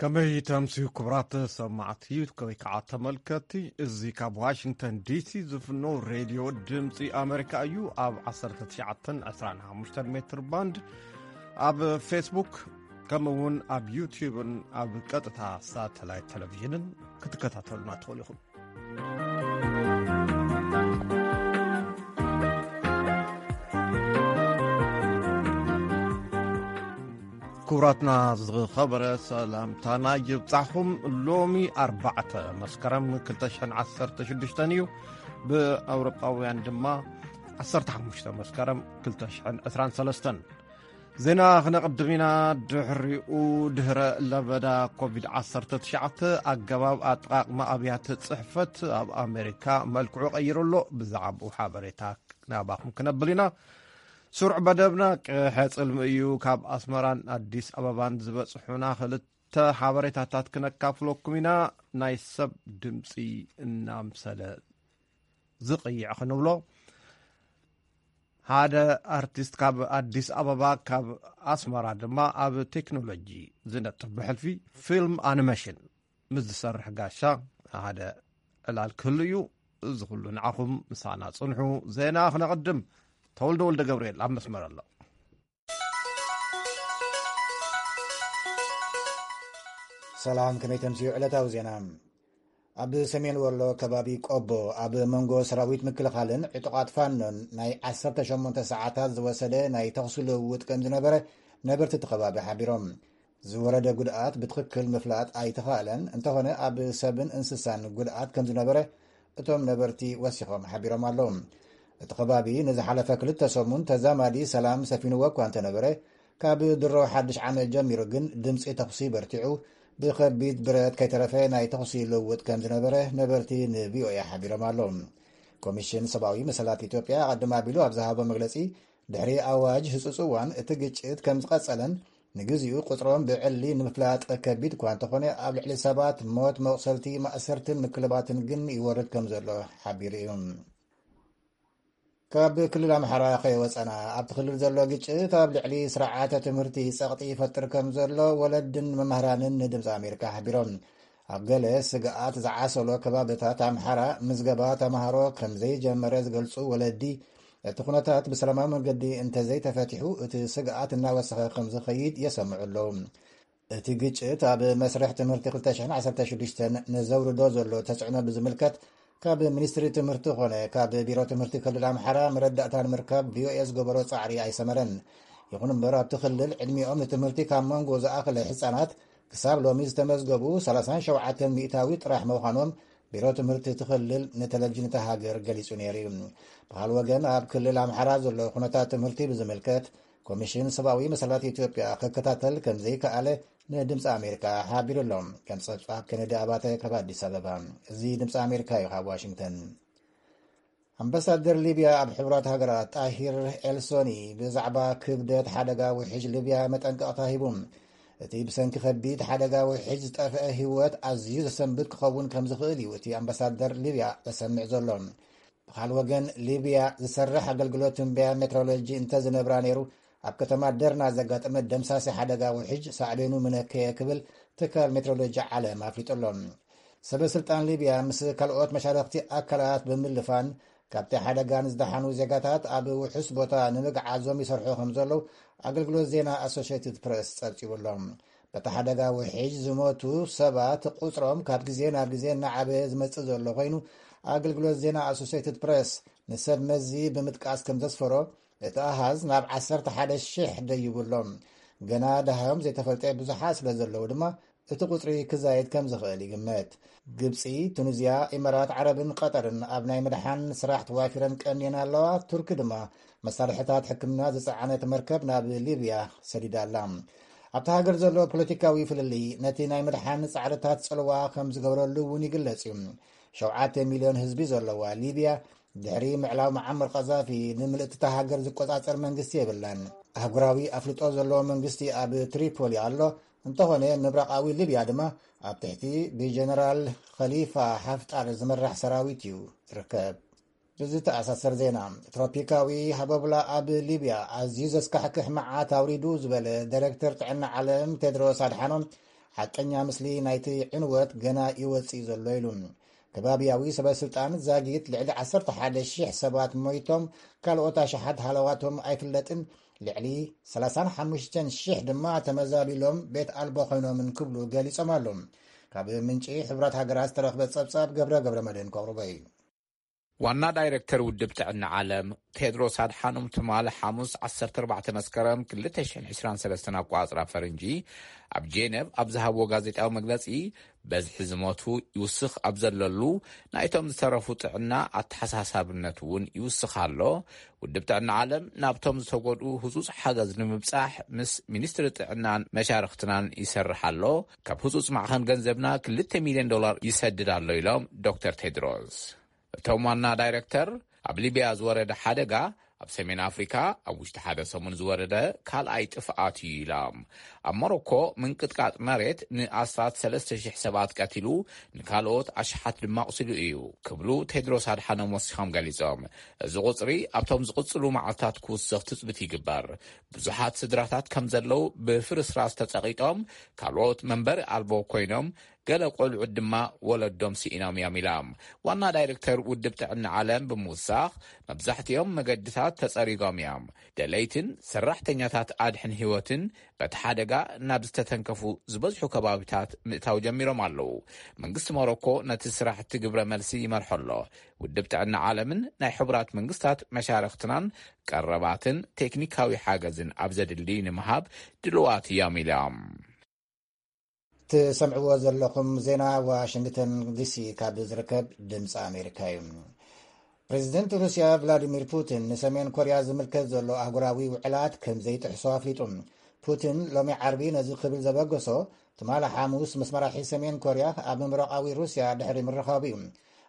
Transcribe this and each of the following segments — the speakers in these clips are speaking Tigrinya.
ከመይ ተምስዩ ክቡራት ሰማዕቲ ወይ ከዓ ተመልከትቲ፣ እዚ ካብ ዋሽንግተን ዲሲ ዝፍኖ ሬድዮ ድምፂ ኣሜሪካ እዩ። ኣብ ዓሰርተ ትሽዓተን ዕስራን ሓሙሽተን ሜትር ባንድ፣ ኣብ ፌስቡክ፣ ከምኡ እውን ኣብ ዩቲዩብን ኣብ ቀጥታ ሳተላይት ቴሌቪዥንን ክትከታተሉና ትኽእሉ ኢኹም። ክቡራትና ዝኸበረ ሰላምታና ይብጻሕኹም። ሎሚ ኣርባዕተ መስከረም ክልተ ሽሕን ዓሰርተ ሽዱሽተን እዩ። ብኣውሮጳውያን ድማ ዓሰርተ ሓሙሽተ መስከረም ክልተ ሽሕን ዕስራን ሰለስተን። ዜና ክነቕድም ኢና። ድሕሪኡ፣ ድህረ ለበዳ ኮቪድ ዓሰርተ ትሽዓተ፣ ኣገባብ ኣጠቓቕማ ኣብያተ ጽሕፈት ኣብ ኣሜሪካ መልክዑ ቀይሩ ኣሎ። ብዛዕባኡ ሓበሬታ ናባኹም ክነብል ኢና። ስሩዕ መደብና ቅሐ ጽልሚ እዩ። ካብ ኣስመራን ኣዲስ ኣበባን ዝበጽሑና ክልተ ሓበሬታታት ክነካፍለኩም ኢና። ናይ ሰብ ድምጺ እናምሰለ ዝቕይዕ ክንብሎ፣ ሓደ ኣርቲስት ካብ ኣዲስ ኣበባ፣ ካብ ኣስመራ ድማ ኣብ ቴክኖሎጂ ዝነጥፍ ብሕልፊ ፊልም ኣኒሜሽን ምስ ዝሰርሕ ጋሻ ሓደ ዕላል ክህሉ እዩ። እዚ ኩሉ ንዓኹም ምሳና ጽንሑ። ዜና ክነቕድም። ተወልደ ወልደ ገብርኤል ኣብ መስመር ኣሎ። ሰላም፣ ከመይ ተምስዩ ዕለታዊ ዜና? ኣብ ሰሜን ወሎ ከባቢ ቆቦ ኣብ መንጎ ሰራዊት ምክልኻልን ዕጡቓት ፋኖን ናይ ዓሰርተ ሸሞንተ ሰዓታት ዝወሰደ ናይ ተኹሲ ልውውጥ ከም ዝነበረ ነበርቲ እቲ ከባቢ ሓቢሮም። ዝወረደ ጉድኣት ብትኽክል ምፍላጥ ኣይተኻእለን፣ እንተኾነ ኣብ ሰብን እንስሳን ጉድኣት ከም ዝነበረ እቶም ነበርቲ ወሲኾም ሓቢሮም ኣለዉ። እቲ ከባቢ ንዝሓለፈ ክልተ ሰሙን ተዛማዲ ሰላም ሰፊንዎ እኳ እንተነበረ፣ ካብ ድሮ ሓድሽ ዓመት ጀሚሩ ግን ድምፂ ተኹሲ በርቲዑ፣ ብኸቢድ ብረት ከይተረፈ ናይ ተኹሲ ልውውጥ ከም ዝነበረ ነበርቲ ንቪኦኤ ሓቢሮም ኣለዉ። ኮሚሽን ሰብኣዊ መሰላት ኢትዮጵያ ኣቐድም ኣቢሉ ኣብ ዝሃቦ መግለፂ፣ ድሕሪ ኣዋጅ ህፁፅ እዋን እቲ ግጭት ከም ዝቐፀለን ንግዚኡ ቁፅሮም ብዕሊ ንምፍላጥ ከቢድ እኳ እንተኾነ፣ ኣብ ልዕሊ ሰባት ሞት፣ መቑሰልቲ፣ ማእሰርትን ምክልባትን ግን ይወርድ ከም ዘሎ ሓቢሩ እዩ። ካብ ክልል ኣምሓራ ከይወፀና፣ ኣብቲ ክልል ዘሎ ግጭት ኣብ ልዕሊ ስርዓተ ትምህርቲ ጸቕጢ ይፈጥር ከም ዘሎ ወለድን መምህራንን ንድምፂ ኣሜሪካ ሓቢሮም። ኣብ ገለ ስግኣት ዝዓሰሎ ከባብታት ኣምሓራ ምዝገባ ተምሃሮ ከም ዘይጀመረ ዝገልጹ ወለዲ፣ እቲ ኩነታት ብሰላማዊ መንገዲ እንተዘይተፈቲሑ፣ እቲ ስግኣት እናወሰኸ ከም ዝኸይድ የሰምዑ ኣለዉ። እቲ ግጭት ኣብ መስርሕ ትምህርቲ ክልተ ሽሕን ዓሰርተ ሽዱሽተን ንዘውርዶ ዘሎ ተጽዕኖ ብዝምልከት፣ ካብ ሚኒስትሪ ትምህርቲ ኾነ ካብ ቢሮ ትምህርቲ ክልል ኣምሓራ መረዳእታ ንምርካብ ቪኦኤ ዝገበሮ ጻዕሪ ኣይሰመረን። ይኹን እምበር፣ ኣብቲ ክልል ዕድሚኦም ንትምህርቲ ካብ መንጎ ዝኣኸለ ህጻናት ክሳብ ሎሚ ዝተመዝገቡ ሰላሳን ሸውዓተን ሚእታዊት ጥራሕ ምዃኖም ቢሮ ትምህርቲ እቲ ክልል ንቴሌቪዥን እታ ሃገር ገሊጹ ነይሩ እዩ። ብኻልእ ወገን፣ ኣብ ክልል ኣምሓራ ዘሎ ኩነታት ትምህርቲ ብዝምልከት፣ ኮሚሽን ሰብኣዊ መሰላት ኢትዮጵያ ክከታተል ከም ዘይከኣለ ንድምፂ ኣሜሪካ ሓቢሩ ኣሎ። ከም ጸብጻብ ኬነዲ ኣባተ ካብ ኣዲስ ኣበባ። እዚ ድምፂ ኣሜሪካ እዩ፣ ካብ ዋሽንግተን። ኣምባሳደር ሊብያ ኣብ ሕቡራት ሃገራት ጣሂር ኤልሶኒ ብዛዕባ ክብደት ሓደጋ ውሕጅ ሊብያ መጠንቀቕታ ሂቡ። እቲ ብሰንኪ ከቢድ ሓደጋ ውሕጅ ዝጠፍአ ህይወት ኣዝዩ ዘሰንብድ ክኸውን ከም ዝኽእል እዩ እቲ ኣምባሳደር ሊብያ ዘሰምዕ ዘሎ። ብኻልእ ወገን፣ ሊብያ ዝሰርሕ ኣገልግሎት ትንበያ ሜትሮሎጂ እንተዝነብራ ነይሩ፣ ኣብ ከተማ ደርና ዘጋጠመ ደምሳሲ ሓደጋ ውሕጅ ሳዕቤኑ ምነከየ ክብል ትካል ሜትሮሎጂ ዓለም ኣፍሊጡ ኣሎ። ሰበ ስልጣን ሊብያ ምስ ካልኦት መሻርኽቲ ኣካላት ብምልፋን፣ ካብቲ ሓደጋ ንዝደሓኑ ዜጋታት ኣብ ውሑስ ቦታ ንምግዓዞም ይሰርሑ ከም ዘለዉ ኣገልግሎት ዜና ኣሶሽየትድ ፕረስ ጸብጺቡ ኣሎ። በቲ ሓደጋ ውሕጅ ዝሞቱ ሰባት ቁጽሮም ካብ ግዜ ናብ ግዜ እናዓበየ ዝመጽእ ዘሎ ኮይኑ፣ ኣገልግሎት ዜና ኣሶሲየትድ ፕረስ ንሰብ መዚ ብምጥቃስ ከም ዘስፈሮ፣ እቲ ኣሃዝ ናብ ዓሰርተ ሓደ ሽሕ ደይቡ ኣሎ። ገና ደሃዮም ዘይተፈልጠ ብዙሓት ስለ ዘለዉ ድማ፣ እቲ ቁጽሪ ክዛየድ ከም ዝኽእል ይግመት። ግብጺ፣ ቱኒዝያ፣ ኢማራት ዓረብን ቀጠርን ኣብ ናይ ምድሓን ስራሕ ተዋፊረን ቀንየን ኣለዋ። ቱርኪ ድማ መሳርሕታት ሕክምና ዝጸዓነት መርከብ ናብ ሊብያ ሰዲዳ ኣላ። ኣብታ ሃገር ዘሎ ፖለቲካዊ ፍልልይ ነቲ ናይ ምድሓን ጻዕርታት ጽልዋ ከም ዝገብረሉ እውን ይግለጽ እዩ። ሸውዓተ ሚልዮን ህዝቢ ዘለዋ ሊብያ፣ ድሕሪ ምዕላው መዓመር ቀዛፊ፣ ንምልእቲ እታ ሃገር ዝቆጻጸር መንግስቲ የብላን። ኣህጉራዊ ኣፍልጦ ዘለዎ መንግስቲ ኣብ ትሪፖሊ ኣሎ። እንተኾነ፣ ምብራቓዊ ሊብያ ድማ ኣብ ትሕቲ ብጀነራል ኸሊፋ ሓፍጣር ዝምራሕ ሰራዊት እዩ ዝርከብ። ብዝተኣሳሰር ዜና፣ ትሮፒካዊ ሃቦብላ ኣብ ሊብያ ኣዝዩ ዘስካሕክሕ መዓት ኣውሪዱ ዝበለ ዳይሬክተር ጥዕና ዓለም ቴድሮስ ኣድሓኖም፣ ሓቀኛ ምስሊ ናይቲ ዕንወት ገና ይወጽእ ዘሎ ኢሉ። ከባቢያዊ ሰበስልጣን ዛጊት ልዕሊ ዓሰርተ ሓደ ሺሕ ሰባት ሞይቶም፣ ካልኦት ኣሽሓት ሃለዋቶም ኣይፍለጥን፣ ልዕሊ ሰላሳን ሓሙሽተን ሺሕ ድማ ተመዛቢሎም ቤት ኣልቦ ኮይኖምን ክብሉ ገሊጾም ኣለዉ። ካብ ምንጪ ሕቡራት ሃገራት ዝተረኽበ ጸብጻብ ገብረ ገብረ መድህን ከቕርቦ እዩ። ዋና ዳይሬክተር ውድብ ጥዕና ዓለም ቴድሮስ ኣድሓኖም ትማሊ ሓሙስ ዓሰርተ ኣርባዕተ መስከረም ክልተ ሽሕን ዕስራን ሰለስተን ኣቋጽራ ፈረንጂ ኣብ ጄነቭ ኣብ ዝሃብዎ ጋዜጣዊ መግለጺ፣ በዝሒ ዝሞቱ ይውስኽ ኣብ ዘለሉ፣ ናይቶም ዝተረፉ ጥዕና ኣተሓሳሳብነት እውን ይውስኽ ኣሎ። ውድብ ጥዕና ዓለም ናብቶም ዝተጎድኡ ህጹጽ ሓገዝ ንምብጻሕ ምስ ሚኒስትሪ ጥዕናን መሻርኽትናን ይሰርሕ ኣሎ። ካብ ህጹጽ ማዕኸን ገንዘብና ክልተ ሚልዮን ዶላር ይሰድድ ኣሎ ኢሎም ዶክተር ቴድሮስ። እቶም ዋና ዳይሬክተር፣ ኣብ ሊብያ ዝወረደ ሓደጋ ኣብ ሰሜን ኣፍሪካ ኣብ ውሽጢ ሓደ ሰሙን ዝወረደ ካልኣይ ጥፍኣት እዩ ኢሎም። ኣብ ሞሮኮ ምንቅጥቃጥ መሬት ንኣስታት ሰለስተ ሽሕ ሰባት ቀቲሉ፣ ንካልኦት ኣሽሓት ድማ ኣቑሲሉ እዩ ክብሉ ቴድሮስ ኣድሓኖም ወሲኾም ገሊጾም። እዚ ቁጽሪ ኣብቶም ዝቕጽሉ መዓልታት ክውስኽ ትጽቢት ይግበር። ብዙሓት ስድራታት ከም ዘለዉ ብፍርስራስ ተጸቒጦም፣ ካልኦት መንበሪ ኣልቦ ኮይኖም፣ ገለ ቆልዑት ድማ ወለዶም ስኢኖም እዮም ኢሎም። ዋና ዳይሬክተር ውድብ ጥዕና ዓለም ብምውሳኽ፣ መብዛሕትኦም መገድታት ተጸሪጎም እዮም። ደለይትን ሰራሕተኛታት ኣድሕን ህይወትን በቲ ሓደጋ ናብ ዝተተንከፉ ዝበዝሑ ከባቢታት ምእታው ጀሚሮም ኣለዉ። መንግስቲ ሞሮኮ ነቲ ስራሕቲ ግብረ መልሲ ይመርሖ ኣሎ። ውድብ ጥዕና ዓለምን ናይ ሕቡራት መንግስታት መሻርኽትናን ቀረባትን ቴክኒካዊ ሓገዝን ኣብ ዘድሊ ንምሃብ ድልዋት እዮም ኢሎም። ትሰምዕዎ ዘለኹም ዜና ዋሽንግተን ዲሲ ካብ ዝርከብ ድምፂ ኣሜሪካ እዩ። ፕሬዚደንት ሩስያ ቭላዲሚር ፑቲን ንሰሜን ኮርያ ዝምልከት ዘሎ ኣህጉራዊ ውዕላት ከም ዘይጥሕሶ ኣፍሊጡ። ፑቲን ሎሚ ዓርቢ ነዚ ክብል ዘበገሶ፣ ትማሊ ሓሙስ ምስ መራሒ ሰሜን ኮርያ ኣብ ምብራቓዊ ሩስያ ድሕሪ ምርኻቡ እዩ።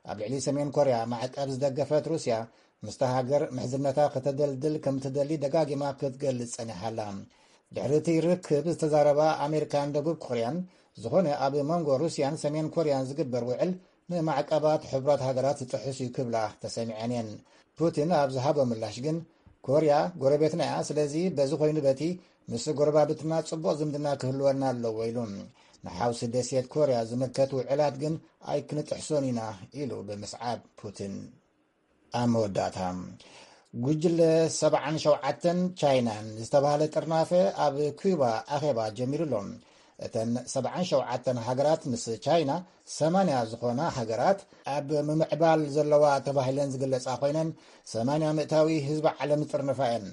ኣብ ልዕሊ ሰሜን ኮርያ ማዕቀብ ዝደገፈት ሩስያ፣ ምስታ ሃገር ምሕዝነታ ከተደልድል ከም ትደሊ ደጋጊማ ክትገልጽ ጸኒሓ ኣላ። ድሕሪ እቲ ርክብ ዝተዛረባ ኣሜሪካን ደቡብ ኮርያን፣ ዝኾነ ኣብ መንጎ ሩስያን ሰሜን ኮርያን ዝግበር ውዕል ንማዕቀባት ሕቡራት ሃገራት ዝጥሕስ እዩ ክብላ ተሰሚዐን እየን። ፑቲን ኣብ ዝሃቦ ምላሽ ግን፣ ኮርያ ጎረቤትና እያ፣ ስለዚ በዚ ኮይኑ በቲ ምስ ጎረባብትና ጽቡቕ ዝምድና ክህልወና ኣለዎ ኢሉ። ንሓውሲ ደሴት ኮርያ ዝምልከት ውዕላት ግን ኣይክንጥሕሶን ኢና ኢሉ ብምስዓብ ፑቲን። ኣብ መወዳእታ፣ ጉጅለ ሰብዓን ሸውዓተን ቻይናን ዝተባህለ ጥርናፈ ኣብ ኩባ ኣኼባ ጀሚሩ ኣሎ። እተን ሰብዓን ሸውዓተን ሃገራት ምስ ቻይና ሰማንያ ዝኾና ሃገራት ኣብ ምምዕባል ዘለዋ ተባሂለን ዝግለጻ ኮይነን፣ ሰማንያ ምእታዊ ህዝቢ ዓለም ዝጥርንፋ እየን።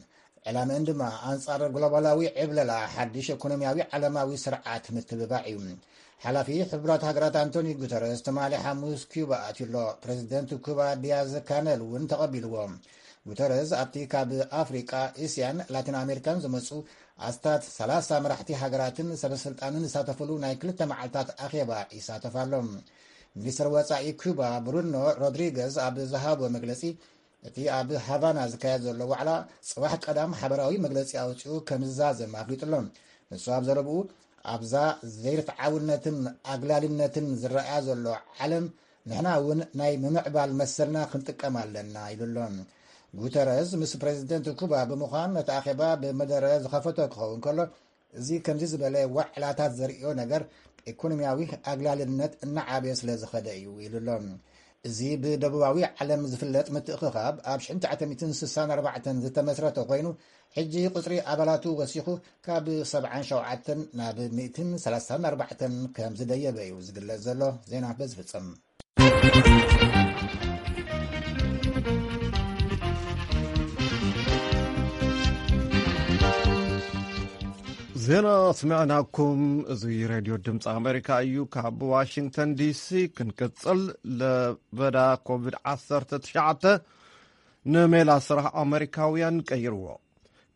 ዕላመአን ድማ ኣንጻር ግሎባላዊ ዕብለላ ሓድሽ ኢኮኖሚያዊ ዓለማዊ ስርዓት ምትብባዕ እዩ። ሓላፊ ሕቡራት ሃገራት ኣንቶኒ ጉተረዝ ትማሊ ሓሙስ ኩባ ኣትዩ ኣሎ። ፕሬዚደንት ኩባ ዲያዝ ካነል እውን ተቐቢልዎ። ጉተረዝ ኣብቲ ካብ ኣፍሪቃ፣ እስያን ላቲን ኣሜሪካን ዝመጹ ኣስታት ሰላሳ መራሕቲ ሃገራትን ሰበስልጣንን ዝሳተፍሉ ናይ ክልተ መዓልታት ኣኼባ ይሳተፍ ኣሎ። ሚኒስትር ወጻኢ ኩባ ብሩኖ ሮድሪገዝ ኣብ ዝሃቦ መግለጺ፣ እቲ ኣብ ሃቫና ዝካየድ ዘሎ ዋዕላ ጽባሕ ቀዳም ሓበራዊ መግለጺ ኣውጺኡ ከም ዝዛዘም ኣፍሊጡ ኣሎ። ንሱ ኣብ ዘረብኡ፣ ኣብዛ ዘይርትዓውነትን ኣግላልነትን ዝረኣያ ዘሎ ዓለም፣ ንሕና እውን ናይ ምምዕባል መሰልና ክንጥቀም ኣለና ኢሉ ኣሎ። ጉተረዝ ምስ ፕሬዚደንት ኩባ ብምዃን ነቲ ኣኼባ ብመደረ ዝኸፈቶ ክኸውን ከሎ፣ እዚ ከምዚ ዝበለ ዋዕላታት ዘርእዮ ነገር፣ ኢኮኖሚያዊ ኣግላልነት እናዓበየ ስለ ዝኸደ እዩ ኢሉ ኣሎ። እዚ ብደቡባዊ ዓለም ዝፍለጥ ምትእኽኻብ ኣብ ሽሕን ትሽዓተ ሚእትን ስሳን ኣርባዕተን ዝተመስረተ ኮይኑ፣ ሕጂ ቁጽሪ ኣባላቱ ወሲኹ ካብ ሰብዓን ሸውዓተን ናብ ሚእትን ሰላሳን ኣርባዕተን ከም ዝደየበ እዩ ዝግለጽ ዘሎ። ዜና በዚ ፍጽም። ዜና ስምዕናኩም፣ እዚ ሬድዮ ድምፂ ኣሜሪካ እዩ። ካብ ዋሽንግተን ዲሲ ክንቅፅል፣ ለበዳ ኮቪድ ዓሰርተ ትሽዓተ ንሜላ ስራሕ ኣሜሪካውያን ቀይርዎ።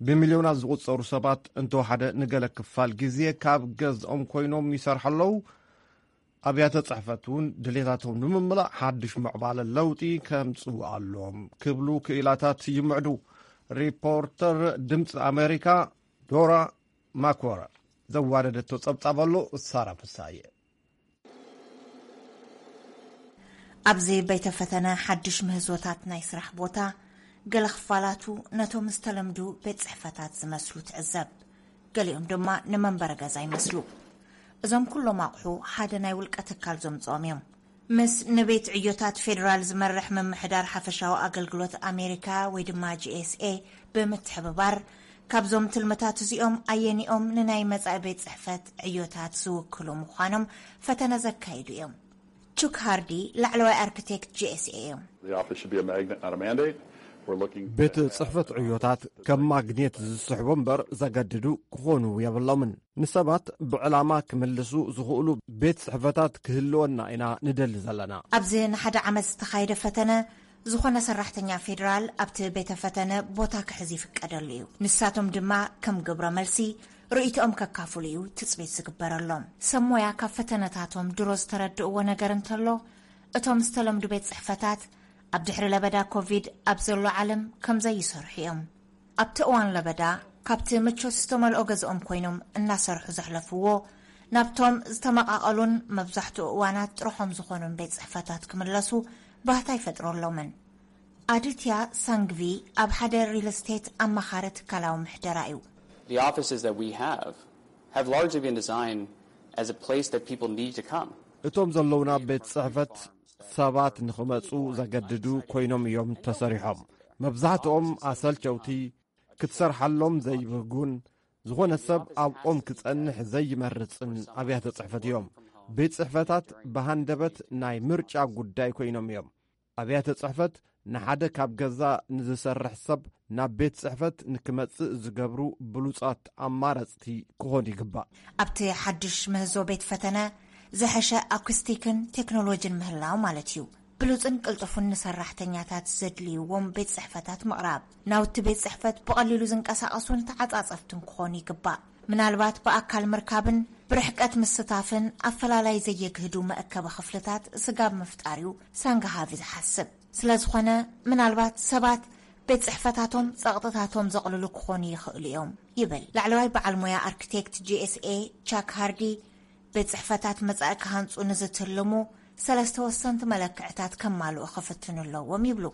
ብሚልዮናት ዝቑጸሩ ሰባት እንተወሓደ ንገለ ክፋል ግዜ ካብ ገዝኦም ኮይኖም ይሰርሑ ኣለዉ። ኣብያተ ጽሕፈት እውን ድሌታቶም ንምምላእ ሓድሽ ምዕባለ ለውጢ ከምጽኡ ኣለዎም ክብሉ ክኢላታት ይምዕዱ። ሪፖርተር ድምፂ ኣሜሪካ ዶራ ማኮረ ዘዋደደቶ ጸብጻብ ኣሎ። ሳራ ፍሳየ። ኣብዚ ቤተ ፈተነ ሓድሽ ምህዞታት ናይ ስራሕ ቦታ፣ ገለ ክፋላቱ ነቶም ዝተለምዱ ቤት ጽሕፈታት ዝመስሉ ትዕዘብ። ገሊኦም ድማ ንመንበሪ ገዛ ይመስሉ። እዞም ኩሎም ኣቑሑ ሓደ ናይ ውልቀ ትካል ዘምጽኦም እዮም። ምስ ንቤት ዕዮታት ፌዴራል ዝመርሕ ምምሕዳር ሓፈሻዊ ኣገልግሎት ኣሜሪካ ወይ ድማ ጂ ኤስ ኤ ብምትሕብባር፣ ካብዞም ትልምታት እዚኦም ኣየኒኦም ንናይ መጻኢ ቤት ጽሕፈት ዕዮታት ዝውክሉ ምዃኖም ፈተነ ዘካይዱ እዮም። ቹክ ሃርዲ፣ ላዕለዋይ ኣርክቴክት ጂ ኤስ ኤ እዮም። The office should be a magnet, not a mandate. We're looking ቤት ጽሕፈት ዕዮታት ከም ማግኔት ዝስሕቡ እምበር ዘገድዱ ክኾኑ የብሎምን። ንሰባት ብዕላማ ክምልሱ ዝኽእሉ ቤት ጽሕፈታት ክህልወና ኢና ንደሊ ዘለና። ኣብዚ ንሓደ ዓመት ዝተኻየደ ፈተነ፣ ዝኾነ ሰራሕተኛ ፌዴራል ኣብቲ ቤተ ፈተነ ቦታ ክሕዝ ይፍቀደሉ እዩ። ንሳቶም ድማ ከም ግብረ መልሲ ርእይቶኦም ከካፍሉ እዩ ትጽቢት ዝግበረሎም። ሰብ ሞያ ካብ ፈተነታቶም ድሮ ዝተረድእዎ ነገር እንተሎ፣ እቶም ዝተለምዱ ቤት ጽሕፈታት ኣብ ድሕሪ ለበዳ ኮቪድ ኣብ ዘሎ ዓለም ከም ዘይሰርሑ እዮም። ኣብቲ እዋን ለበዳ ካብቲ ምቾት ዝተመልኦ ገዝኦም ኮይኖም እናሰርሑ ዘሕለፍዎ፣ ናብቶም ዝተመቓቐሉን መብዛሕትኡ እዋናት ጥርሖም ዝኾኑን ቤት ጽሕፈታት ክምለሱ ባህታ ይፈጥረሎምን። ኣድትያ ሳንግቪ ኣብ ሓደ ሪል ስቴት ኣማኻሪ ትካላዊ ምሕደራ እዩ። The offices that we have have largely been designed as a place that people need to come. እቶም ዘለውና ቤት ጽሕፈት ሰባት ንኽመጹ ዘገድዱ ኮይኖም እዮም ተሰሪሖም። መብዛሕትኦም ኣሰልቸውቲ፣ ክትሰርሓሎም ዘይብህጉን፣ ዝኾነ ሰብ ኣብኦም ክጸንሕ ዘይመርጽን ኣብያተ ጽሕፈት እዮም። ቤት ጽሕፈታት ብሃንደበት ናይ ምርጫ ጉዳይ ኮይኖም እዮም። ኣብያተ ጽሕፈት ንሓደ ካብ ገዛ ንዝሰርሕ ሰብ ናብ ቤት ጽሕፈት ንክመጽእ ዝገብሩ ብሉጻት ኣማረጽቲ ክኾኑ ይግባእ። ኣብቲ ሓድሽ ምህዞ ቤት ፈተነ ዝሐሸ ኣኩስቲክን ቴክኖሎጂን ምህላው ማለት እዩ። ብሉጽን ቅልጡፉን ንሰራሕተኛታት ዘድልይዎም ቤት ጽሕፈታት ምቕራብ። ናውቲ ቤት ጽሕፈት ብቐሊሉ ዝንቀሳቐሱን ተዓጻጸፍትን ክኾኑ ይግባእ። ምናልባት ብኣካል ምርካብን ብርሕቀት ምስታፍን ኣፈላላይ ዘየግህዱ መእከቢ ክፍልታት ስጋብ ምፍጣር እዩ ሳንግሃቪ ዝሓስብ። ስለ ዝኾነ ምናልባት ሰባት ቤት ጽሕፈታቶም ጸቕጥታቶም ዘቕልሉ ክኾኑ ይኽእሉ እዮም ይብል ላዕለዋይ በዓል ሞያ ኣርክቴክት ጂ ኤስ ኤ ቻክ ሃርዲ። ቤት ጽሕፈታት መጻኢ ክሃንጹ ንዝትልሙ ሰለስተ ወሰንቲ መለክዕታት ከማልኡ ክፍትኑ ኣለዎም ይብሉ።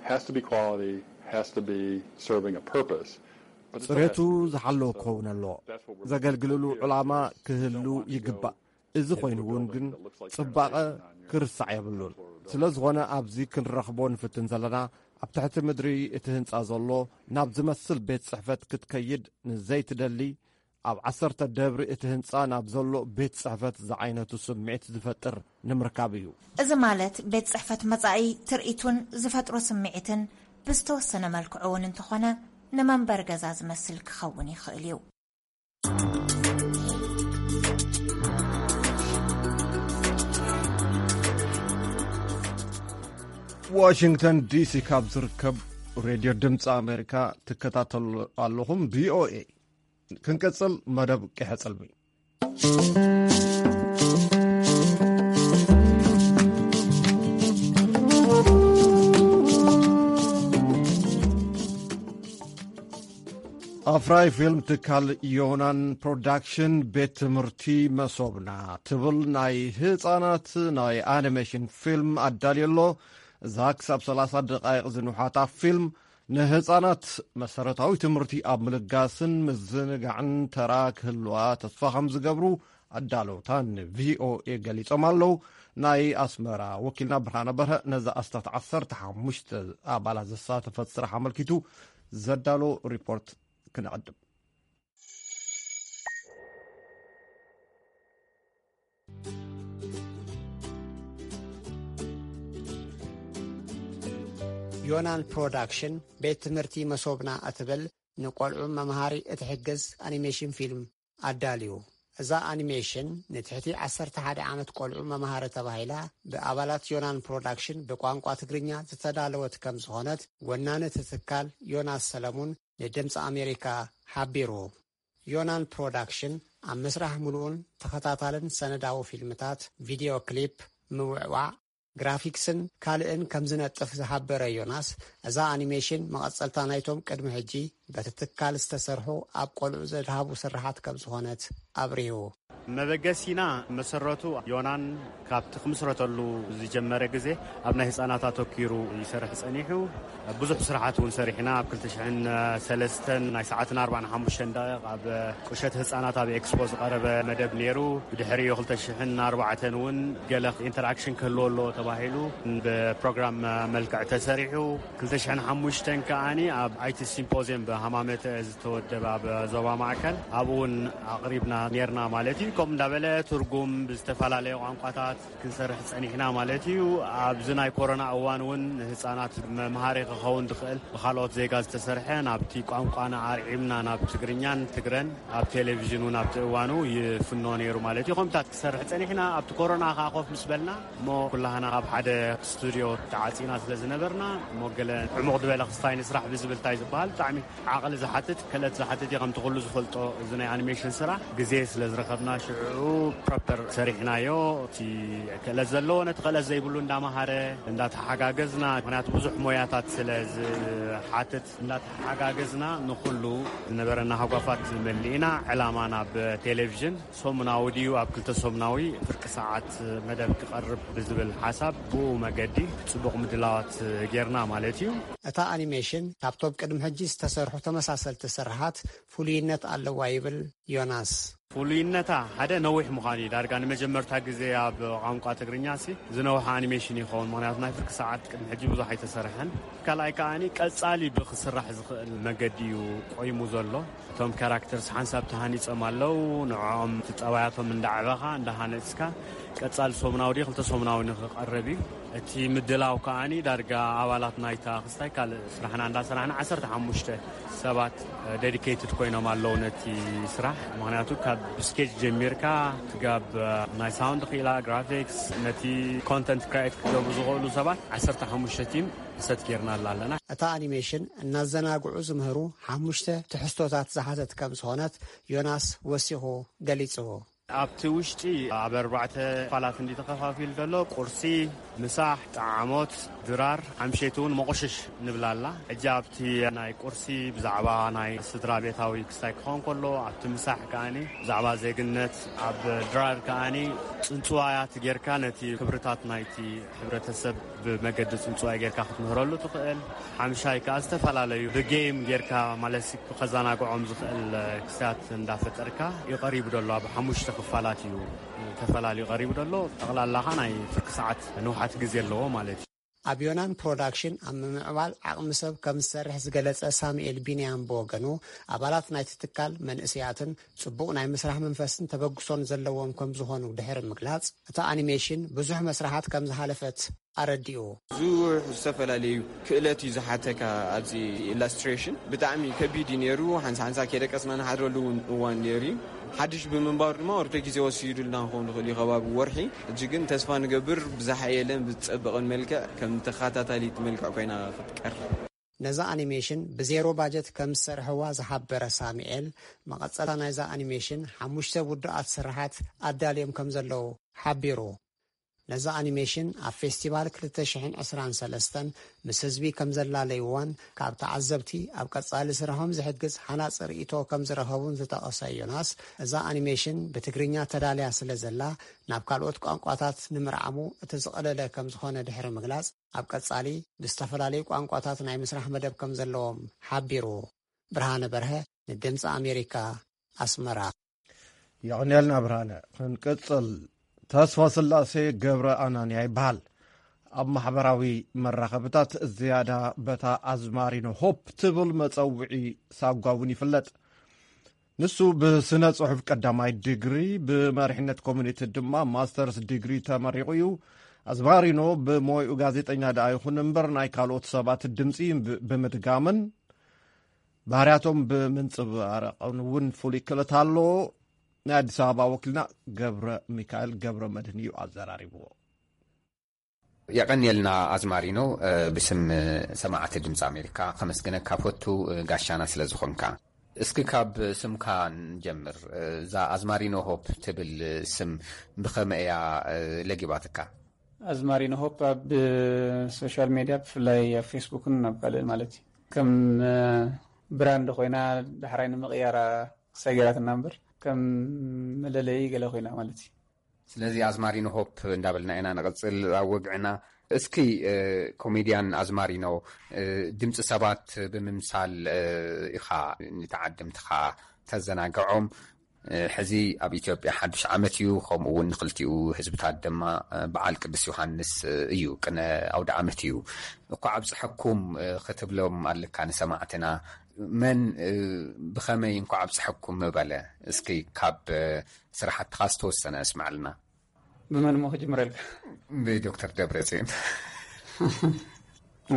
Has to be quality, has to be serving a purpose. But it still has ጽሬቱ to be ዝሓለወ so ክኸውን ኣለዎ። that's what we're ዘገልግልሉ looking for. ዕላማ ክህሉ ይግባእ። እዚ ኮይኑ እውን ግን ጽባቐ ክርሳዕ የብሉን። ስለ ዝኾነ ኣብዚ ክንረኽቦ ንፍትን ዘለና ኣብ ትሕቲ ምድሪ እቲ ህንጻ ዘሎ ናብ ዝመስል ቤት ጽሕፈት ክትከይድ ንዘይትደሊ ኣብ ዓሰርተ ደብሪ እቲ ህንጻ ናብ ዘሎ ቤት ጽሕፈት ዝዓይነቱ ስምዒት ዝፈጥር ንምርካብ እዩ። እዚ ማለት ቤት ጽሕፈት መጻኢ ትርኢቱን ዝፈጥሮ ስምዒትን ብዝተወሰነ መልክዑ እውን እንተኾነ ንመንበሪ ገዛ ዝመስል ክኸውን ይኽእል እዩ። ዋሽንግተን ዲሲ ካብ ዝርከብ ሬድዮ ድምፂ ኣሜሪካ ትከታተሉ ኣለኹም። ቪኦኤ። ክንቀፅል መደብ ቂሐ ፅልሚ። ኣፍራይ ፊልም ትካል ዮናን ፕሮዳክሽን ቤት ትምህርቲ መሶብና ትብል ናይ ህፃናት ናይ ኣኒሜሽን ፊልም ኣዳልዩ ኣሎ። እዛ ክሳብ ሰላሳ ደቃይቕ ዝንውሓታ ፊልም ንህፃናት መሰረታዊ ትምህርቲ ኣብ ምልጋስን ምዝንጋዕን ተራ ክህልዋ ተስፋ ከም ዝገብሩ ኣዳለውታ ንቪኦኤ ገሊጾም ኣለዉ። ናይ ኣስመራ ወኪልና ብርሃነ በርሀ ነዛ ኣስታት ዓሰርተ ሓሙሽተ ኣባላት ዘሳተፈት ስራሕ ኣመልኪቱ ዘዳሎ ሪፖርት ክነቐድም። ዮናን ፕሮዳክሽን ቤት ትምህርቲ መሶብና እትብል ንቆልዑ መምሃሪ እትሕግዝ ኣኒሜሽን ፊልም ኣዳልዩ። እዛ ኣኒሜሽን ንትሕቲ ዓሰርተ ሓደ ዓመት ቆልዑ መምሃሪ ተባሂላ ብኣባላት ዮናን ፕሮዳክሽን ብቋንቋ ትግርኛ ዝተዳለወት ከም ዝኾነት ወናኒ እቲ ትካል ዮናስ ሰለሙን ንድምፂ ኣሜሪካ ሓቢሩ። ዮናን ፕሮዳክሽን ኣብ ምስራሕ ምሉኡን ተኸታታልን ሰነዳዊ ፊልምታት፣ ቪድዮ ክሊፕ፣ ምውዕዋዕ፣ ግራፊክስን ካልእን ከም ዝነጥፍ ዝሓበረ ዮናስ፣ እዛ ኣኒሜሽን መቐጸልታ ናይቶም ቅድሚ ሕጂ በቲ ትካል ዝተሰርሑ ኣብ ቆልዑ ዘድሃቡ ስርሓት ከም ዝኾነት ኣብሪሁ። መበገሲና መሰረቱ ዮናን ካብቲ ክምስረተሉ ዝጀመረ ግዜ ኣብ ናይ ህፃናት ኣተኪሩ ይሰርሕ ጸኒሑ። ብዙሕ ስራሓት እውን ሰሪሕና። ኣብ ክልተ ሽሕን ሰለስተን ናይ ሰዓትን ኣርባን ሓሙሽተን ደቂቕ ኣብ ቁሸት ህፃናት ኣብ ኤክስፖ ዝቐረበ መደብ ነይሩ። ብድሕሪኡ ክልተ ሽሕን ኣርባዕተን እውን ገለ ኢንተርኣክሽን ክህልዎ ኣለዎ ተባሂሉ ብፕሮግራም መልክዕ ተሰሪሑ። ክልተ ሽሕን ሓሙሽተን ከኣኒ ኣብ ኣይቲ ሲምፖዚየም ብሃማመተ ዝተወደበ ኣብ ዞባ ማእከል ኣብኡ እውን ኣቕሪብና ነርና ማለት እዩ። ከምኡ እንዳበለ ትርጉም ብዝተፈላለየ ቋንቋታት ክንሰርሕ ጸኒሕና ማለት እዩ። ኣብዚ ናይ ኮሮና እዋን እውን ንህጻናት መምሃሪ ክኸውን ዝኽእል ብኻልኦት ዜጋ ዝተሰርሐ ናብቲ ቋንቋና ኣርዒምና ናብ ትግርኛን ትግረን ኣብ ቴሌቪዥን እውን ኣብቲ እዋኑ ይፍኖ ነይሩ ማለት እዩ። ከምታት ክሰርሕ ጸኒሕና ኣብቲ ኮሮና ከኣ ኮፍ ምስ በልና እሞ ኩላህና ኣብ ሓደ ስቱድዮ ተዓጺና ስለ ዝነበርና እሞ ገለ ዕሙቕ ዝበለ ክስታይ ንስራሕ ብዝብል እንታይ ዝበሃል ብጣዕሚ ዓቕሊ ዝሓትት ክእለት ዝሓትት እዩ። ከምቲ ኩሉ ዝፈልጦ እዚ ናይ ኣኒሜሽን ስራሕ ግዜ ስለ ዝረኸብና ሽዑ ፕሮፐር ሰሪሕናዮ። እቲ ክእለት ዘለዎ ነቲ ክእለት ዘይብሉ እንዳመሃረ እንዳተሓጋገዝና፣ ምክንያቱ ብዙሕ ሞያታት ስለ ዝሓትት እንዳተሓጋገዝና ንኩሉ ዝነበረና ሃጓፋት መሊእና ዕላማ ናብ ቴሌቪዥን ሰሙናዊ ድዩ ኣብ ክልተ ሰሙናዊ ፍርቂ ሰዓት መደብ ክቐርብ ብዝብል ሓሳብ ብኡ መገዲ ጽቡቕ ምድላዋት ጌርና ማለት እዩ። እታ ኣኒሜሽን ካብቶም ቅድሚ ሕጂ ዝተሰርሑ ተመሳሰልቲ ስርሓት ፍሉይነት ኣለዋ ይብል ዮናስ። ፍሉይነታ ሓደ ነዊሕ ምዃኑ እዩ። ዳርጋ ንመጀመርታ ግዜ ኣብ ቋንቋ ትግርኛ ሲ ዝነውሐ ኣኒሜሽን ይኸውን። ምኽንያቱ ናይ ፍርቂ ሰዓት ቅድሚ ሕጂ ብዙሕ ኣይተሰርሐን። ካልኣይ ከኣኒ ቀጻሊ ብክስራሕ ዝኽእል መገዲ እዩ ቆይሙ ዘሎ። እቶም ካራክተርስ ሓንሳብ ተሃኒጾም ኣለዉ። ንዕኦም እቲ ጠባያቶም እንዳዕበኻ እንዳሃነጽካ ቀጻሊ ሰሙናዊ ድዩ ክልተ ሰሙናዊ ንኽቐርብ እዩ። እቲ ምድላው ከኣኒ ዳርጋ ኣባላት ናይታ ክስታይ ካልእ ስራሕና እንዳሰራሕና ዓሰርተ ሓሙሽተ ሰባት ዴዲኬትድ ኮይኖም ኣለዉ ነቲ ስራሕ። ምኽንያቱ ካብ ስኬች ጀሚርካ ክጋብ ናይ ሳውንድ ክኢላ፣ ግራፊክስ፣ ነቲ ኮንተንት ክሪኤት ክገብሩ ዝኽእሉ ሰባት ዓሰርተ ሓሙሽተ ቲም ሰት ጌርና ኣለና። እታ ኣኒሜሽን እናዘናግዑ ዝምህሩ ሓሙሽተ ትሕዝቶታት ዝሓዘት ከም ዝኾነት ዮናስ ወሲኹ ገሊጹ። ኣብቲ ውሽጢ ኣብ ኣርባዕተ ክፋላት እንዲ ተኸፋፊሉ ዘሎ ቁርሲ፣ ምሳሕ፣ ጠዓሞት፣ ድራር፣ ሓምሸይቲ እውን መቑሽሽ ንብላ ኣላ። ሕጂ ኣብቲ ናይ ቁርሲ ብዛዕባ ናይ ስድራ ቤታዊ ክስታይ ክኸውን ከሎ፣ ኣብቲ ምሳሕ ከኣኒ ብዛዕባ ዜግነት፣ ኣብ ድራር ከኣኒ ጽንጽዋያት ጌርካ ነቲ ክብርታት ናይቲ ሕብረተሰብ ብመገዲ ጽንጽዋይ ጌርካ ክትምህረሉ ትኽእል። ሓምሻይ ከኣ ዝተፈላለዩ ብጌም ጌርካ ማለት ሲ ከዘናግዖም ዝኽእል ክስታት እንዳፈጠርካ እዩ ቀሪቡ ዘሎ። ኣብ ሓሙሽተ ክፋላት እዩ ተፈላልዩ ቀሪቡ ዘሎ። ጠቕላላ ኸኣ ናይ ፍርቂ ሰዓት ንውሓት ግዜ ኣለዎ ማለት እዩ። ኣብ ዮናን ፕሮዳክሽን ኣብ ምምዕባል ዓቕሚ ሰብ ከም ዝሰርሕ ዝገለጸ ሳሙኤል ቢንያም ብወገኑ፣ ኣባላት ናይቲ ትካል መንእሰያትን ጽቡቕ ናይ ምስራሕ መንፈስን ተበግሶን ዘለዎም ከም ዝኾኑ ድሕሪ ምግላጽ፣ እታ ኣኒሜሽን ብዙሕ መስርሓት ከም ዝሓለፈት ኣረዲኡ። ብዙሕ ዝተፈላለዩ ክእለት እዩ ዝሓተካ። ኣብዚ ኢላስትሬሽን ብጣዕሚ ከቢድ እዩ ነይሩ። ሓንሳ ሓንሳ ከይደቀስና ንሓድረሉ እውን እዋን ነይሩ እዩ። ሓድሽ ብምንባሩ ድማ ወርዶ ግዜ ወሲዱልና ክኸውን ይኽእል እዩ፣ ከባቢ ወርሒ። ሕጂ ግን ተስፋ ንገብር ብዝሓየለን ብዝጸበቐን መልክዕ ከም ተኸታታሊት መልክዕ ኮይና ክትቀርብ። ነዛ ኣኒሜሽን ብዜሮ ባጀት ከም ዝሰርሕዋ ዝሓበረ ሳሙኤል፣ መቐጸልታ ናይዛ ኣኒሜሽን ሓሙሽተ ውዱኣት ስርሓት ኣዳልዮም ከም ዘለዉ ሓቢሩ። ነዛ ኣኒሜሽን ኣብ ፌስቲቫል ክልተ ሽሕን ዕስራን ሰለስተን ምስ ህዝቢ ከም ዘላለይዋን ካብ ተዓዘብቲ ኣብ ቀጻሊ ስርሖም ዝሕግዝ ሃናጺ ርእይቶ ከም ዝረኸቡን ዝጠቐሰ ዮናስ፣ እዛ ኣኒሜሽን ብትግርኛ ተዳልያ ስለ ዘላ ናብ ካልኦት ቋንቋታት ንምርዓሙ እቲ ዝቐለለ ከም ዝኾነ ድሕሪ ምግላጽ፣ ኣብ ቀጻሊ ብዝተፈላለዩ ቋንቋታት ናይ ምስራሕ መደብ ከም ዘለዎም ሓቢሩ። ብርሃነ በርሀ ንድምጺ ኣሜሪካ፣ ኣስመራ። የቐንየልና ብርሃነ። ክንቅጽል፣ ተስፋ ስላሴ ገብረ ኣናንያ ይበሃል። ኣብ ማሕበራዊ መራኸብታት ዝያዳ በታ ኣዝማሪኖ ሆፕ ትብል መጸውዒ ሳጓ እውን ይፍለጥ። ንሱ ብስነ ጽሑፍ ቀዳማይ ዲግሪ፣ ብመሪሕነት ኮሚኒቲ ድማ ማስተርስ ዲግሪ ተመሪቑ እዩ። ኣዝማሪኖ ብሞይኡ ጋዜጠኛ ደኣ ይኹን እምበር፣ ናይ ካልኦት ሰባት ድምጺ ብ-፣ ብምድጋምን ባህርያቶም ብምንጽባረቕን እውን ፍሉይ ክእለት ኣለዎ። ናይ ኣዲስ ኣበባ ወኪልና ገብረ ሚካኤል ገብረ መድህን እዩ ኣዘራሪብዎ። የቐንየልና ኣዝማሪኖ፣ እ፣ ብስም ሰማዕቲ ድምፂ ኣሜሪካ ከመስግነካ ፈቱ፣ እ፣ ጋሻና ስለ ዝኾንካ። እስኪ ካብ ስምካ ንጀምር። እ፣ እዛ ኣዝማሪኖ ሆፕ ትብል ስም ብኸመይ እያ፣ እ፣ ለጊባትካ? ኣዝማሪኖ ሆፕ ኣብ ሶሻል ሜድያ፣ ብፍላይ ኣብ ፌስቡክን ኣብ ካልእን ማለት እዩ፣ ከም፣ እ፣ ብራንድ ኮይና ዳሕራይ ንምቕያራ ክሳይ ገይራትና እምበር፣ ከም መለለዪ ገለ ኮይና ማለት እዩ። ስለዚ ኣዝማሪኖ ሆፕ እንዳበልና ኢና ንቐጽል ኣብ ወግዕና። እስኪ ኮሜድያን ኣዝማሪኖ፣ ድምፂ ሰባት ብምምሳል ኢኻ ንተዓድምትኻ ተዘናግዖም። ሕዚ ኣብ ኢትዮጵያ ሓዱሽ ዓመት እዩ፣ ከምኡ እውን ንክልቲኡ ህዝብታት ድማ በዓል ቅዱስ ዮሃንስ እዩ፣ ቅነ ኣውደ ዓመት እዩ። እንኳዕ ኣብፀሐኩም ክትብሎም ኣለካ ንሰማዕትና። መን ብኸመይ እንኳዕ ኣብፀሐኩም ምበለ? እስኪ ካብ ስራሕትኻ ዝተወሰነ ኣስምዓልና። ብመን እሞ ክጅምረልካ? ብዶክተር ደብረፅዮን።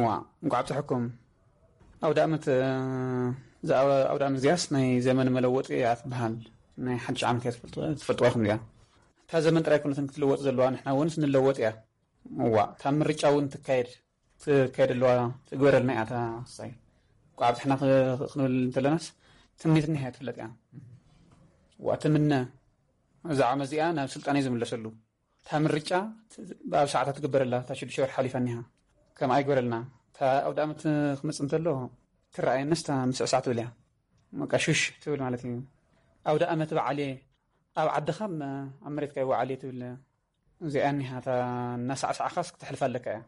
ዋ፣ እንኳዕ ኣብፀሐኩም። ኣውደ ዓመት እዛ ኣውደ ዓመት እዚኣስ ናይ ዘመን መለወጢ እያ ትበሃል። ናይ ሓድሽ ዓመት እያ ትፈልጥዋ ይኹም እዚኣ። እታ ዘመን ጥራይ ኮነትን ክትልወጥ ዘለዋ፣ ንሕና እውን ንለወጥ እያ። እዋ፣ እታ ምርጫ እውን ትካየድ ትካየድ ኣለዋ። ትግበረልና እያ። እታ ሳይ ቋብ ትሕና ክንብል እንተለናስ ትምኒትና እያ ትፍለጥ እያ። እዋ፣ ትምነ እዛ ዓመት እዚኣ ናብ ስልጣን እዩ ዝምለሰሉ። እታ ምርጫ ኣብ ሰዓታት ትግበረላ። እታ ሽዱሽተ ወርሒ ሓሊፋ እኒሃ። ከም ኣይግበረልና። እታ ኣውደ ዓመት ክመጽእ እንተሎ ትረኣየንስ እታ ምስዕሳዕ ትብል እያ። በቃ ሹሽ ትብል ማለት እዩ። ኣውደ ዓመት በዓል እየ፣ ኣብ ዓድኻ ኣብ መሬትካ ይወዓል እየ ትብል። እዚኣ እኒሃ እታ እናሳዕሳዕኻስ ክትሕልፋ ኣለካ እያ።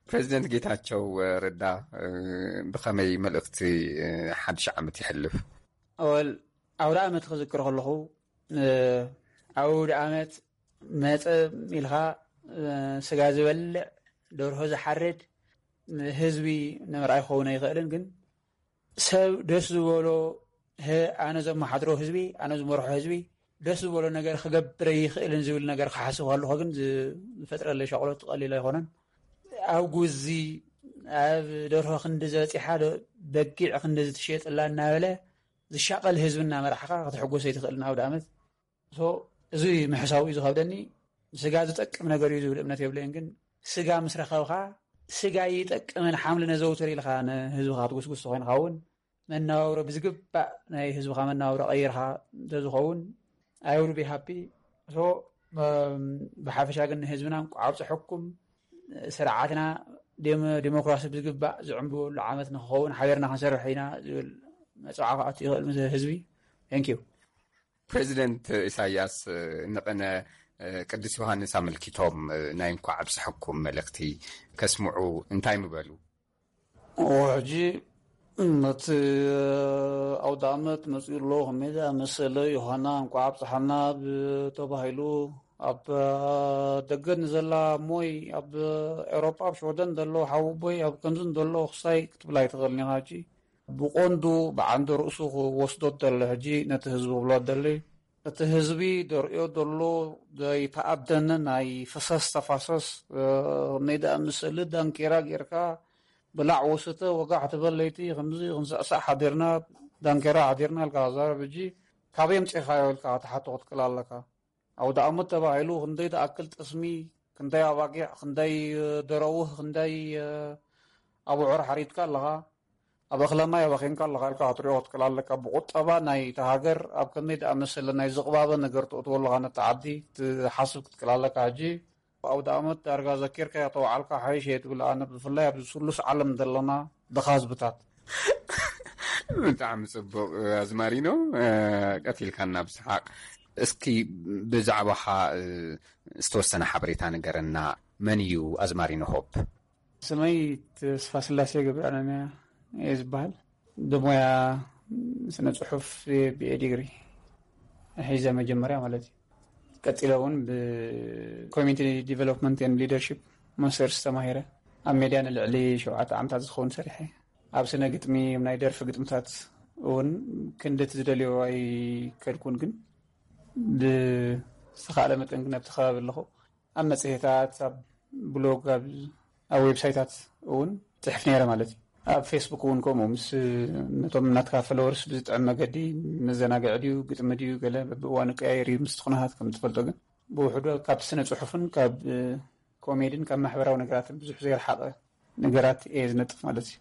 ፕሬዚደንት ጌታቸው ረዳ ብኸመይ መልእኽቲ ሓድሽ ዓመት ይሕልፍ? ኣወል ኣውደ ዓመት ክዝክር ከለኹ ኣውደ ዓመት መጸ ኢልካ ስጋ ዝበልዕ ደርሆ ዝሓርድ ህዝቢ ንምርኣይ ክኸውን ኣይኽእልን። ግን ሰብ ደስ ዝበሎ ኣነ ዘመሓድሮ ህዝቢ፣ ኣነ ዝመርሖ ህዝቢ ደስ ዝበሎ ነገር ክገብር ይኽእልን ዝብል ነገር ክሓስብ ከለኹ ግን ዝፈጥረለይ ሻቕሎት ቀሊል ኣይኮነን። ኣብ ጉዚ ኣብ ደርሆ ክንዲ ዝበፂሓ በጊዕ ክንዲ ዝትሸጥላ እናበለ ዝሻቐል ህዝቢ እናመራሕኻ ክትሕጎስ ኣይትኽእልን። ኣውደ ዓመት እዚ ምሕሳው እዩ ዝኸብደኒ። ስጋ ዝጠቅም ነገር እዩ ዝብል እምነት የብለይን። ግን ስጋ ምስ ረኸብካ ስጋ ይጠቅምን ሓምሊ ነዘውትር ኢልካ ንህዝብኻ ትጉስጉስ ኮይንካ እውን መናባብሮ ብዝግባእ ናይ ህዝብኻ መናባብሮ ቀይርካ እንተዝኸውን I will be happy። ብሓፈሻ ግን ንህዝብና እንቋዕ ኣብፀሐኩም። ስርዓትና ዴሞክራሲ ብዝግባእ ዝዕንብበሉ ዓመት ንክኸውን ሓቢርና ክንሰርሕ ኢና ዝብል መፅዋዕታ ክኣቱ ይኽእል ምስ ህዝቢ። Thank you። ፕሬዚደንት ኢሳያስ ንቅነ ቅዱስ ዮሃንስ ኣመልኪቶም ናይ እንኳዕ ኣብፀሐኩም መልእኽቲ ከስምዑ እንታይ ምበሉ? ሕጂ ነቲ ኣውደ ዓመት መፅኡ ኣሎ ከመይ ዝኣመሰለ ዮሃና እንኳዕ ኣብፀሐና ተባሂሉ ኣብ ደገ ንዘላ እሞይ ኣብ ኤውሮጳ ኣብ ሽወደን ዘሎ ሓወቦይ ኣብ ከምዚ ዘሎ ክሳይ ክትብል ኣይትኽእልን ኢኻ። ሕጂ ብቐንዱ ብዓንዲ ርእሱ ክወስዶ ደሎ ሕጂ ነቲ ህዝቢ ክብሎ ደሊ እቲ ህዝቢ ደርእዮ ደሎ ዘይተኣደነ ናይ ፈሰስ ተፋሰስ ነይ ደኣ ምስሊ ዳንኬራ ጌርካ ብላዕ ወስተ ወጋሕ ትበል ለይቲ ከምዚ ክንስዕሳዕ ሓዲርና ዳንኬራ ሓዲርና ኢልካ ዛረብ ሕጂ ካበይ ኣምፂእኻዮ ኢልካ ክትሓቶ ክትክእል ኣለካ። ኣውደ ዓመት ተባሂሉ ክንደይ ዝኣክል ጥስሚ፣ ክንደይ ኣባጊዕ፣ ክንደይ ደረውህ፣ ክንደይ ኣቡዑር ሓሪድካ ኣለኻ። ኣብ እኽለ ማይ ኣባኺንካ ኣለኻ ኢልካ ክትሪኦ ክትክእል ኣለካ። ብቁጠባ ናይ እታ ሃገር ኣብ ከመይ ዝኣመሰለ ናይ ዝቕባበ ነገር ተእትዎ ኣለኻ ነቲ ዓዲ ክትሓስብ ክትክእል ኣለካ። ሕጂ ኣውደ ዓመት ዳርጋ ዘኪርካዮ ተወዓልካ ሓይሽ እየ ትብል። ኣነ ብፍላይ ኣብዚ ስሉስ ዓለም ዘለና ድኻ ህዝብታት። ብጣዕሚ ጽቡቕ ኣዝማሪኖ፣ ቀቲልካና ብስሓቕ። እስኪ ብዛዕባኻ ዝተወሰነ ሓበሬታ ንገረና። መን እዩ ኣዝማሪኖ ሆፕ? ስመይ ተስፋ ስላሴ ገብረኣረምያ እየ ዝበሃል። ብሞያ ስነ ጽሑፍ ብኤ ዲግሪ ሒዘ መጀመርያ ማለት እዩ። ቀጺለ እውን ብኮሚኒቲ ዲቨሎፕመንት ኤንድ ሊደርሺፕ ማስተርስ ተማሂረ። ኣብ ሜድያ ንልዕሊ ሸውዓተ ዓመታት ዝኸውን ሰሪሐ። ኣብ ስነ ግጥሚ፣ ኣብ ናይ ደርፊ ግጥምታት እውን ክንድቲ ዝደልዮ ኣይከድኩን፣ ግን ብዝተኻእለ መጠን ግን ኣብቲ ከባቢ ኣለኹ። ኣብ መጽሔታት፣ ኣብ ብሎግ፣ ኣብ ኣብ ዌብሳይታት እውን ጽሕፍ ነይረ ማለት እዩ። ኣብ ፌስቡክ እውን ከምኡ ምስ ነቶም ናትካ ፎሎወርስ ብዝጥዕም መገዲ መዘናግዒ ድዩ ግጥሚ ድዩ ገለ በብእዋኑ ቀያየር እዩ ምስ ትኹናሃት ከም ትፈልጦ ግን ብውሕዶ ካብ ስነ ጽሑፍን ካብ ኮሜድን ካብ ማሕበራዊ ነገራትን ብዙሕ ዘይረሓቐ ነገራት እየ ዝነጥፍ ማለት እዩ።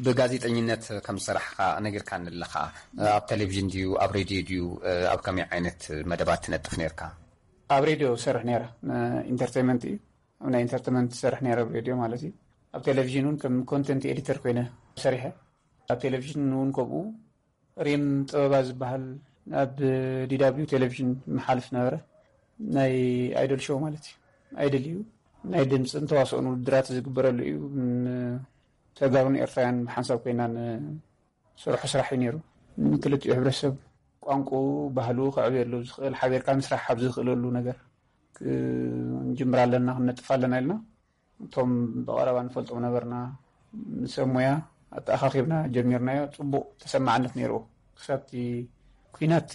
ብጋዜጠኝነት ከም ዝሰራሕካ ነጊርካኒ ኣለኻ። ኣብ ቴሌቪዥን ድዩ ኣብ ሬድዮ ድዩ ኣብ ከመይ ዓይነት መደባት ትነጥፍ ነርካ? ኣብ ሬድዮ ሰርሕ ነይረ። ኢንተርቴንመንት እዩ። ኣብ ናይ ኢንተርቴንመንት ሰርሕ ነይረ ኣብ ሬድዮ ማለት እዩ። ኣብ ቴሌቪዥን እውን ከም ኮንተንት ኤዲተር ኮይነ ሰሪሐ። ኣብ ቴሌቪዥን እውን ከምኡ ሪም ጥበባ ዝበሃል ኣብ ዲ ደብሊው ቴሌቪዥን መሓልፍ ነበረ። ናይ ኣይዶል ሾው ማለት እዩ። ኣይድል እዩ፣ ናይ ድምፅን ተዋስኦን ውድድራት ዝግበረሉ እዩ። ተጋሩን ኤርትራውያን ብሓንሳብ ኮይና ንሰርሖ ስራሕ እዩ ነይሩ። ንክልቲኡ ሕብረተሰብ ቋንቋኡ፣ ባህሉ ከዕብየሉ ዝኽእል፣ ሓቢርካ ምስራሕ ኣብ ዝኽእለሉ ነገር ክንጅምር ኣለና፣ ክንነጥፍ ኣለና ኢልና እቶም ብቐረባ ንፈልጦም ነበርና፣ ንሰብ ሞያ ኣተኣኻኺብና ጀሚርናዮ። ጽቡቕ ተሰማዕነት ነይርዎ። ክሳብ እቲ ኲናት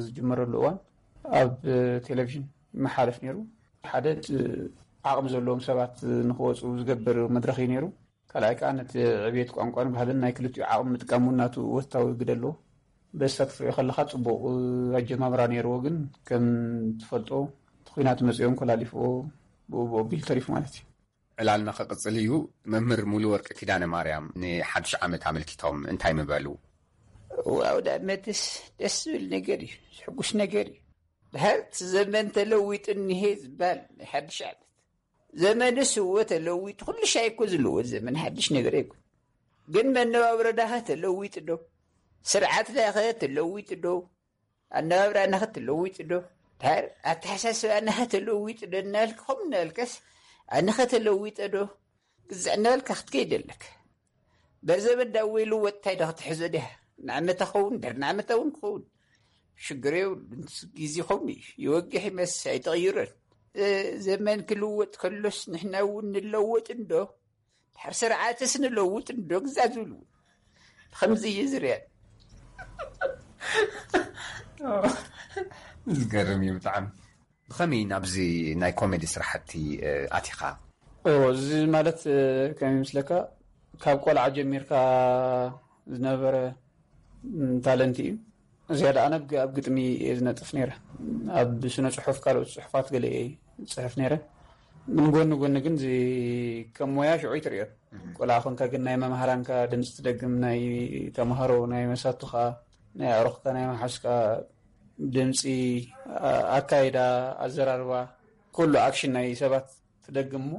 ዝጅመረሉ እዋን ኣብ ቴሌቪዥን ይመሓለፍ ነይሩ። ሓደ ዓቕሚ ዘለዎም ሰባት ንኽወፁ ዝገብር መድረኽ እዩ ነይሩ። ካልኣይ ከዓ ነቲ ዕብየት ቋንቋን ባህልን ናይ ክልቲኡ ዓቕሚ ምጥቃም እውን ናቱ ወታዊ ግደ ኣለዎ። በሳ ክትሪኦ ከለኻ ጽቡቕ ኣጀማምራ ነይርዎ፣ ግን ከም ትፈልጦ እቲ ኲናት መጺኦም ኮላሊፍዎ ብኡ ብኡ ኣቢሉ ተሪፉ ማለት እዩ። ዕላልና ክቕጽል እዩ። መምህር ሙሉ ወርቂ ኪዳነ ማርያም ንሓድሽ ዓመት ኣመልኪቶም እንታይ ምበሉ? ዋው፣ ዳመትስ ደስ ዝብል ነገር እዩ፣ ዝሕጉስ ነገር እዩ። ድሕርቲ ዘመን ተለዊጡ እኒሄ ዝበሃል ናይ ሓድሽ ዓመት። ዘመንስ እወ ተለዊጡ፣ ኩሉ ሻይ እኮ ዝልወጥ ዘመን ሓድሽ ነገር ኣይኮን። ግን መነባብሮናኸ ተለዊጡ ዶ? ስርዓትናኸ ተለዊጡ ዶ? ኣነባብራናኸ ተለዊጡ ዶ? ድሓር ኣተሓሳስባናኸ ተለዊጡ ዶ እናበልካ፣ ከምኡ እናበልካስ ኣነኸ ተለዊጠ ዶ? ግዛዕ እናበልካ ክትከይድ ኣለካ። በርዘበን ዳወይ ልወጥ እንታይ ዶ ክትሕዞ ዲኻ? ንዓመታ ኸውን፣ ድሕሪ ንዓመታ እውን ክኸውን። ሽግር የብሉን። ግዜ ከምኡ እዩ። ይወግሕ ይመስ ኣይተቕይሮን። እ፣ ዘመን ክልወጥ ከሎስ ንሕና እውን ንለወጥ እንዶ? ድሕሪ ስርዓትስ ንለውጥ እንዶ? ግዛዕ ዝብሉ እውን። ከምዚ እዩ ዝርኣን። ዝገርም እዩ ብጣዕሚ። ብኸመይ ናብዚ ናይ ኮሜዲ ስራሕቲ፣ እ፣ ኣቲኻ? ኦ፣ እዚ ማለት፣ እ፣ ከመይ ይመስለካ፣ ካብ ቆልዓ ጀሚርካ ዝነበረ፣ ም፣ ታለንት እዩ። ዝያዳ ኣነ ብ-፣ ኣብ ግጥሚ እየ ዝነጥፍ ነይረ። ኣብ ስነ ጽሑፍ፣ ካልኦት ጽሑፋት ገለ እየ ዝጽሕፍ ነይረ። ግን ጎኒ ጎኒ ግን እዚ ከም ሞያ ሽዑ ይትርእዮ። እም። ቆልዓ ኮንካ ግን ናይ መምሃራንካ ድምፂ ትደግም፣ ናይ ተምሃሮ፣ ናይ መሳቱኻ፣ ናይ ኣዕሩኽካ፣ ናይ መሓዝካ ድምፂ፣ ኣ-፣ ኣካይዳ፣ ኣዘራርባ፣ ኩሉ ኣክሽን ናይ ሰባት ትደግም እሞ፣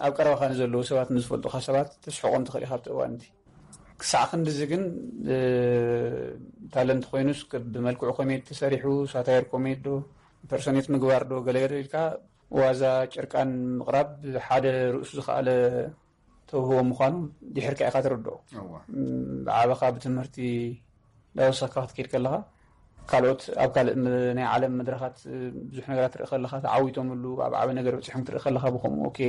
ኣብ ቀረባኻ ንዘለዉ ሰባት፣ ንዝፈልጡኻ ሰባት ተስሕቖም ትኽእል ኢኻ ኣብቲ እዋን እቲ። ክሳዕ ክንድዚ ግን፣ እ፣ ታለንት ኮይኑስ፣ ክ-፣ ብመልክዑ ኮሜዲ ተሰሪሑ፣ ሳታየር ኮሜዲ ዶ፣ ኢምፐርሶኔት ምግባር ዶ፣ ገለ ገለ ኢልካ ዋዛ ጭርቃን ምቕራብ ሓደ ርእሱ ዝኸኣለ ተውህቦ ምዃኑ ድሕርካ ኢኻ ትርድኦ። እዋ። ም፣ ብዓበኻ ብትምህርቲ እንዳወሰኽካ ክትከይድ ከለኻ፣ ካልኦት ኣብ ካልእ ም-፣ ናይ ዓለም መድረኻት፣ እ፣ ብዙሕ ነገራት ትርኢ ከለኻ፣ ተዓዊቶምሉ፣ ኣብ ዓቢ ነገር በጺሖም ክትርኢ ከለኻ፣ ብኸምኡ፣ ኦኬ፣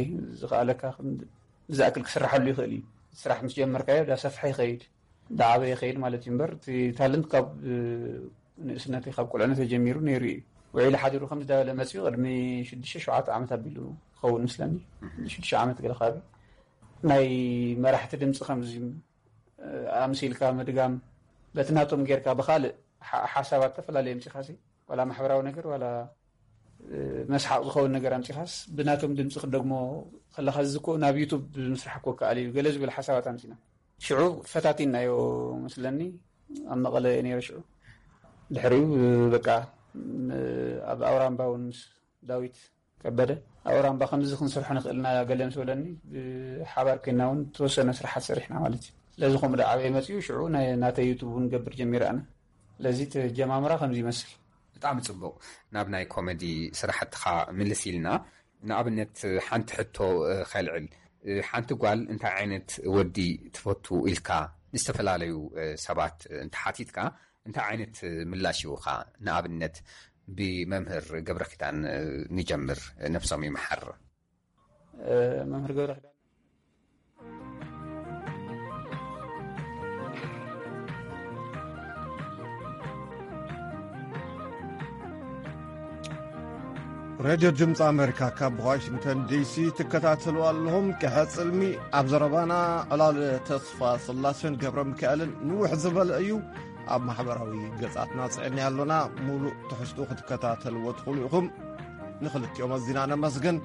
ዝኸኣለካ ክንድ-፣ ዝኣክል ክስራሓሉ ይኽእል እዩ። ስራሕ ምስ ጀመርካዮ፣ ዳሰፍሐ ይኸይድ፣ ዳዓበየ ይኸይድ ማለት እዩ። እምበር፣ እቲ ታለንት ካብ፣ እ፣ ንእስነተይ፣ ካብ ቁልዕነተይ ጀሚሩ ነይሩ እዩ። ውዒሉ ሓዲሩ ከምዚ ዳበለ መጺኡ፣ ቅድሚ ሽዱሽተ ሸውዓተ ዓመት ኣቢሉ ክኸውን ምስለኒ፣ ሽዱሽተ ዓመት ገለ ከባቢ። ናይ መራሕቲ ድምፂ ከምዚ ኣምሲልካ ምድጋም፣ በቲ ናቶም ጌርካ ብኻልእ ሓ-፣ ሓሳባት ተፈላለየ ኣምፂኻሲ፣ ዋላ ማሕበራዊ ነገር፣ ዋላ፣ እ፣ መስሓቕ ዝኸውን ነገር ኣምፂኻስ፣ ብናቶም ድምፂ ክደግሞ ከለኻ፣ እዚ እኮ ናብ ዩቱብ ምስራሕ እኮ ከኣል እዩ፣ ገለ ዝብል ሓሳባት ኣምፂና። ሽዑ ፈታቲናዮ መስለኒ፣ ኣብ መቐለ እየ ነይረ ሽዑ። ድሕሪኡ፣ በቃ፣ ም-፣ ኣብ ኣውራምባ እውን ምስ ዳዊት ከበደ፣ ኣብ ኣውራምባ ከምዚ ክንሰርሖ ንኽእል ኢና ገለ ምስ በለኒ፣ ብሓባር ኮይና እውን ተወሰነ ስራሓት ሰሪሕና ማለት እዩ። ስለዚ ከምኡ ዶ ዓበየ መፅኡ፣ ሽዑ ናይ፣ ናተይ ዩቱብ እውን ገብር ጀሚረ ኣነ። ስለዚ እቲ ጀማምራ ከምዚ ይመስል። ብጣዕሚ ጽቡቕ። ናብ ናይ ኮሜዲ ስራሕትኻ ምልስ ኢልና፣ ንኣብነት ሓንቲ ሕቶ፣ እ፣ ከልዕል። እ፣ ሓንቲ ጓል እንታይ ዓይነት ወዲ ትፈቱ ኢልካ ንዝተፈላለዩ፣ እ፣ ሰባት፣ እ፣ እንተሓቲትካ፣ እንታይ ዓይነት፣ እ፣ ምላሽ ይህቡኻ? ንኣብነት ብመምህር ገብረኪዳን፣ እ፣ ንጀምር፣ እ፣ ነብሶም ይምሓር። እ፣ መምህር ገብረኪዳን። ሬድዮ ድምፂ ኣሜሪካ ካብ ዋሽንግተን ዲሲ ትከታተሉ ኣለኹም። ቀሐጽልሚ ኣብ ዘረባና ዕላል ተስፋ ስላሴን ገብረ ሚካኤልን ንውሕ ዝበለ እዩ። ኣብ ማሕበራዊ ገጻትና ጽዕኒ ኣሎና። ሙሉእ ትሕዝትኡ ክትከታተልዎ ትኽእሉ ኢኹም። ንኽልቲኦም ኣዚና ነመስግን።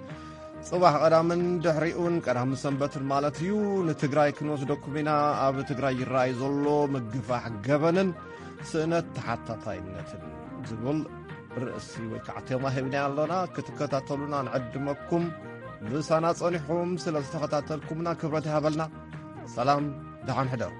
ጽባሕ ቀዳምን ድሕሪኡን ቀዳም ሰንበትን ማለት እዩ። ንትግራይ ክንወስደኩም ኢና። ኣብ ትግራይ ይረኣይ ዘሎ ምግፋሕ ገበንን ስእነት ተሓታታይነትን ዝብል ርእሲ ወይ ከዓ ቴማ ሂብና ኣሎና። ክትከታተሉና ንዕድመኩም። ምሳና ጸኒሕኩም ስለ ዝተኸታተልኩምና ክብረት ይሃበልና። ሰላም፣ ደሓን ሕደሩ።